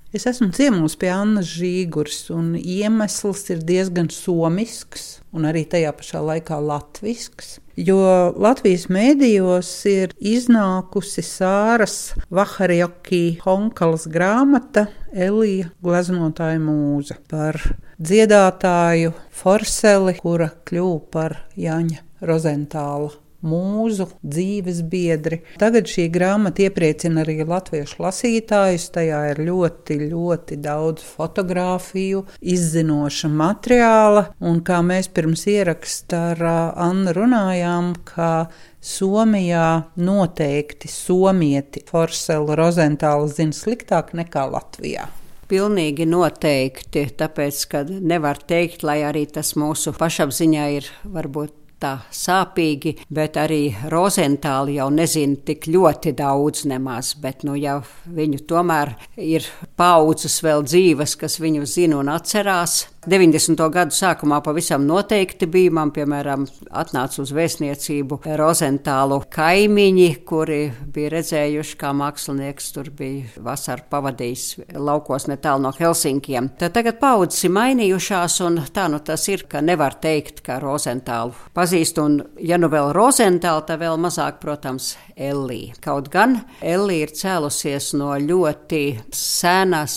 Es esmu ciemos pie Annas Žīguras, un iemesls ir diezgan somisks, un arī tajā pašā laikā latvisks. Jo Latvijas mēdījos ir iznākusi Sāras Vaharjaki Honkalas grāmata Elija gleznotāja mūza par dziedātāju Forseli, kura kļuva par Jāņa Rozentāla mūzu, dzīves biedri. Tagad šī grāmata iepriecina arī latviešu lasītājus. Tajā ir ļoti, ļoti daudz fotogrāfiju, izzinoša materiāla. Un kā mēs pirms ieraksta ar Annu runājām, ka Somijā noteikti somieti Forselu Rozentālu zina sliktāk nekā Latvijā. Pilnīgi noteikti, tāpēc, ka nevar teikt, lai arī tas mūsu pašapziņā ir varbūt tā sāpīgi, bet arī Rozentāli jau nezina tik ļoti daudz nemaz, bet jau viņu tomēr ir paudzes vēl dzīves, kas viņu zina un atcerās. 90. gadu sākumā pavisam noteikti bija, man, piemēram, atnāca uz vēstniecību Rozentālu kaimiņi, kuri bija redzējuši, kā mākslinieks tur bija vasaru pavadījis laukos netālu no Helsinkiem. Tad tagad paudzes ir mainījušās, un tā tas ir, ka nevar teikt, ka Rozentālu pazīst, un ja nu vēl Rozentālu, tad vēl mazāk, protams, Ellija. Kaut gan Ellija ir cēlusies no ļoti senas,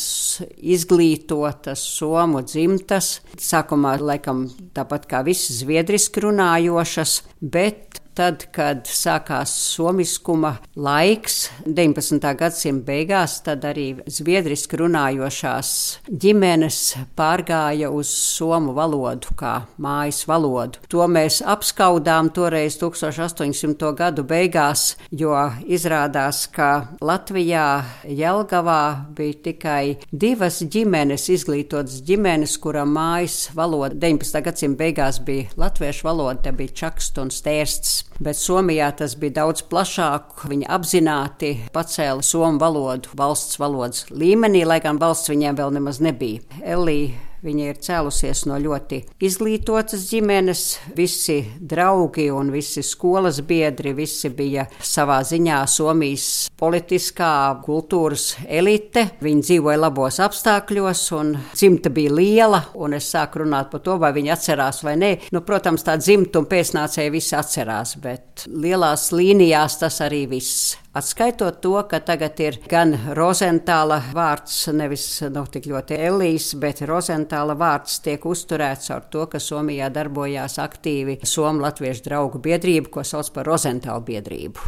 izglītotas somu dzimtas, sākumā laikam tāpat kā visi zviedriski runājošas, bet tad, kad sākās somiskuma laiks, 19. gadsimta beigās, tad arī zviedriski runājošās ģimenes pārgāja uz somu valodu kā mājas valodu. To mēs apskaudām toreiz 1800. gadu beigās, jo izrādās, ka Latvijā Jelgavā bija tikai 2 ģimenes, izglītotas ģimenes, kura mājas valoda 19. gadsimta beigās bija latviešu valoda, te bija čaksts un stērsts. Bet Somijā tas bija daudz plašāk. Viņi apzināti pacēla somu valodu valsts valodas līmenī, lai gan valsts viņiem vēl nemaz nebija. Ellija, viņa ir cēlusies no ļoti izglītotas ģimenes. Visi draugi un visi skolas biedri, visi bija savā ziņā Somijas politiskā kultūras elite. Viņi dzīvoja labos apstākļos un dzimta bija liela, un es sāku runāt par to, vai viņi atcerās vai nē. Protams, tā dzimta un pēcnācēji visi atcerās, bet lielās līnijās tas arī viss. Atskaitot to, ka tagad ir gan Rozentāla vārds, nevis tik ļoti Ellijas, bet Rozentāla vārds tiek uzturēts ar to, ka Somijā darbojās aktīvi Somu latviešu draugu biedrība, ko sauc par Rozentāla biedrību.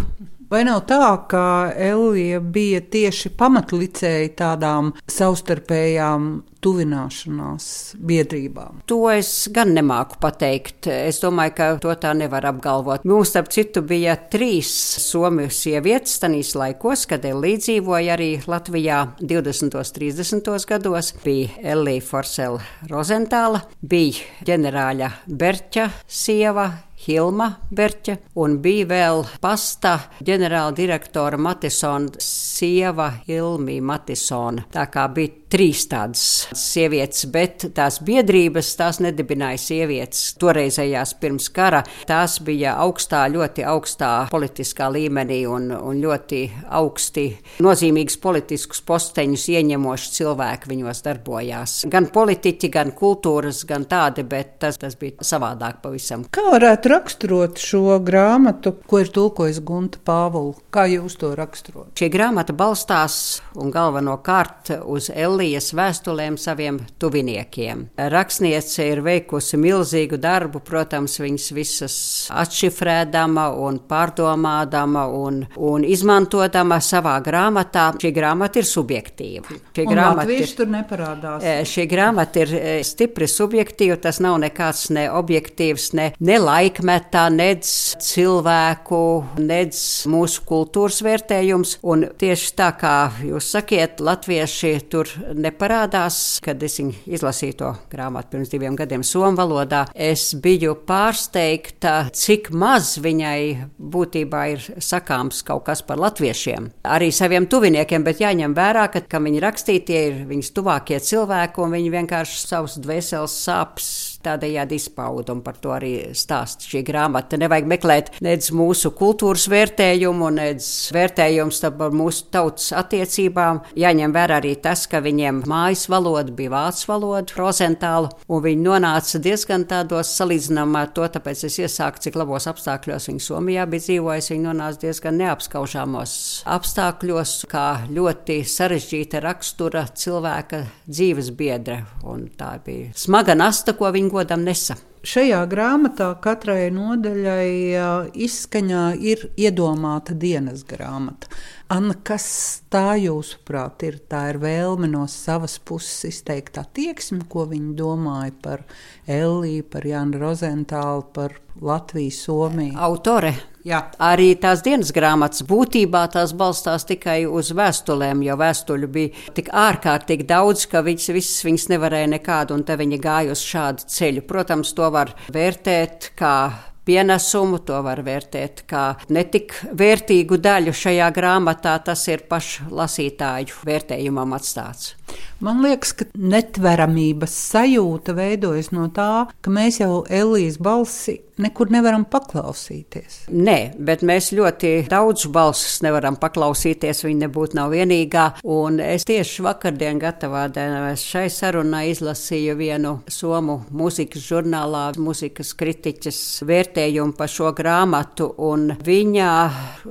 Vai nav tā, ka Ellija bija tieši pamatlicēja tādām savstarpējām tuvināšanās biedrībām? To es gan nemāku pateikt. Es domāju, ka to tā nevar apgalvot. Mums, starp citu, bija 3 somiju sievietes tanīs laikos, kad Ellija dzīvoja arī Latvijā 20. 30. gados. Bija Ellija Forsela Rozentāla, bija ģenerāļa Berķa sieva, Hilma Berķa, un bija vēl pasta ģenerāla direktora Matisona sieva Hilmija Matisona. Tā kā bija 3 tādas sievietes, bet tās biedrības, tās nedibināja sievietes toreizējās pirms kara. Tās bija augstā, ļoti augstā politiskā līmenī un ļoti augsti nozīmīgus politiskus posteņus ieņemoši cilvēki viņos darbojās. Gan politiķi, gan kultūras, gan tādi, bet tas bija savādāk pavisam. Kā varētu raksturot šo grāmatu, ko ir tulkojis Gunta Pāvula? Kā jūs to raksturot? Šī grāmata balstās un galvenokārt uz Ellijas vēstulēm saviem tuviniekiem. Rakstniece ir veikusi milzīgu darbu, protams, viņas visas atšifrēdama un pārdomādama un izmantodama savā grāmatā. Šī grāmata ir subjektīva. Latvieši tur neparādās. Šī grāmata ir stipri subjektīva, tas nav nekāds ne objektīvs, ne laikmetā, nec cilvēku, nec mūsu kultūras vērtējums. Un tieši tā kā jūs sakiet, latvieši tur neparādās. Kad es izlasīju to grāmatu pirms 2 gadiem somu valodā, es biju pārsteigta, cik maz viņai būtībā ir sakāms kaut kas par latviešiem. Arī saviem tuviniekiem, bet jāņem vērā, ka viņi rakstītie ir viņas tuvākie cilvēki, un viņi vienkārši savus dvēseles sāpes tādējādi izpauda, un par to arī stāsta šī grāmata. Nevajag meklēt nedz mūsu kultūras vērtējumu, nedz vērtējums par mūsu tautas attiecībām. Jāņem vērā arī tas, ka viņiem mājas valoda bija vācu valoda, Rozentāla, un viņi nonāca diezgan tādos salīdzinājumā ar to, tāpēc es iesāku, cik labos apstākļos viņi Somijā bija dzīvojusi. Viņi nonāca diezgan neapskaužāmos apstākļos, kā ļoti sarežģīta rakstura cilvēka dzīves biedra, un tā bija smaga nasta, ko viņi godam nesa. Šajā grāmatā katrai nodaļai izskaņā ir iedomāta dienas grāmata. Anna, kas tā jūsuprāt ir? Tā ir vēlme no savas puses izteikt attieksmi, ko viņi domāja par Elliju, par Jānu Rozentālu, par Latviju, Somiju? Autore. Jā. Arī tās dienas grāmatas būtībā tās balstās tikai uz vēstulēm, jo vēstuļu bija tik ārkārtīgi daudz, ka viņas nevarēja nekādu, un te viņi gāja uz šādu ceļu. Protams, to var vērtēt kā pienesumu, to var vērtēt kā netik vērtīgu daļu šajā grāmatā, tas ir pašu lasītāju vērtējumam atstāts. Man liekas, ka netveramības sajūta veidojas no tā, ka mēs jau Ellijas balsi nekur nevaram paklausīties. Nē, bet mēs ļoti daudz balsis nevaram paklausīties, viņa nebūtu nav vienīgā, un es tieši vakardien gatavādēs šai sarunai izlasīju vienu somu mūzikas žurnālā, mūzikas kritiķes vērtējumu par šo grāmatu, un viņa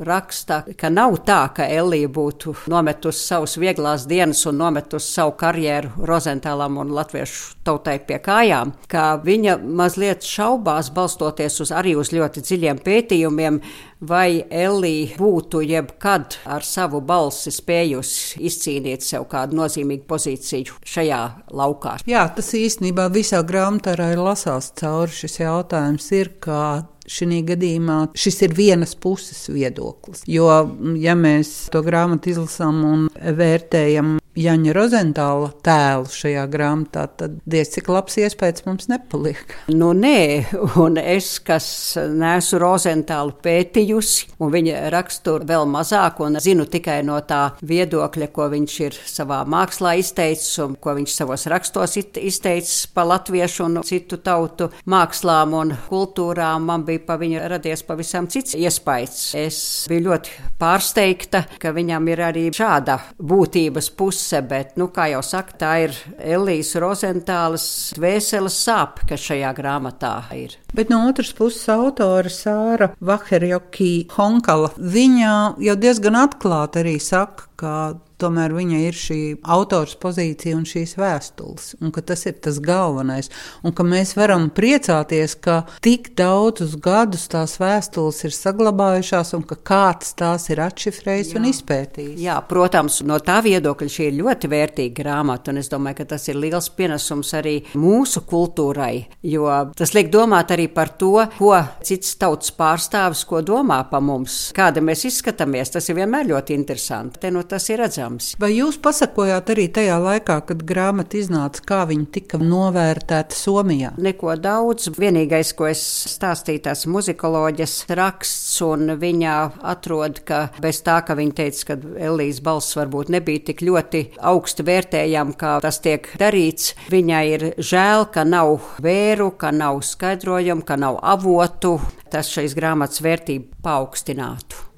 raksta, ka nav tā, ka Ellija būtu nometusi savus vieglās dienas un nometusi savu karjeru Rozentālam un latviešu tautai pie kājām, ka viņa mazliet šaubās, balstoties arī uz ļoti dziļiem pētījumiem, vai Ellija būtu jebkad ar savu balsi spējusi izcīnīt sev kādu nozīmīgu pozīciju šajā laukā. Jā, tas īstenībā visā grāmatā ir lasās cauri šis jautājums ir, kā šī gadījumā šis ir vienas puses viedoklis. Jo, ja mēs to grāmatu izlasām un vērtējam Jāņa Rozentāla tēlu šajā grāmatā, tad diez cik labs iespējas mums nepaliek. Nu nē, un es, kas neesmu Rozentālu pētījusi, un viņa raksturu vēl mazāk, un zinu tikai no tā viedokļa, ko viņš ir savā mākslā izteicis, un ko viņš savos rakstos izteicis par latviešu un citu tautu mākslām un kultūrām, man bija pa viņu radies pavisam cits iespējas. Es biju ļoti pārsteigta, ka viņam ir arī šāda būtības puse, bet, kā jau saka, tā ir Ellijas Rozentālas dvēseles sāpe, kas šajā grāmatā ir. Bet no otras puses autore Sāra Vaherjoki Honkala, viņa jau diezgan atklāti arī saka, ka tomēr viņa ir šī autors pozīcija un šīs vēstules, un ka tas ir tas galvenais, un ka mēs varam priecāties, ka tik daudzus gadus tās vēstules ir saglabājušās, un ka kāds tās ir atšifrējis un izpētījis. Jā, protams, no tā viedokļa šī ir ļoti vērtīga grāmata, un es domāju, ka tas ir liels pienesums arī mūsu kultūrai, jo tas liek domāt arī par to, ko cits tautas pārstāvis, ko domā pa mums, kāda mēs izskatāmies, tas ir vienmēr ļoti interesanti, te tas ir redzams. Vai jūs pasakojāt arī tajā laikā, kad grāmata iznāca, kā viņa tika novērtēta Somijā? Neko daudz. Vienīgais, ko es stāstīju, tās muzikoloģijas raksts, un viņa atrod, ka bez tā, ka viņa teica, ka Ellijas balss varbūt nebija tik ļoti augsti vērtējama, kā tas tiek darīts, viņai ir žēl, ka nav vēru, ka nav skaidrojumu, ka nav avotu. Tas šīs grāmatas vērtību paaugstinātu.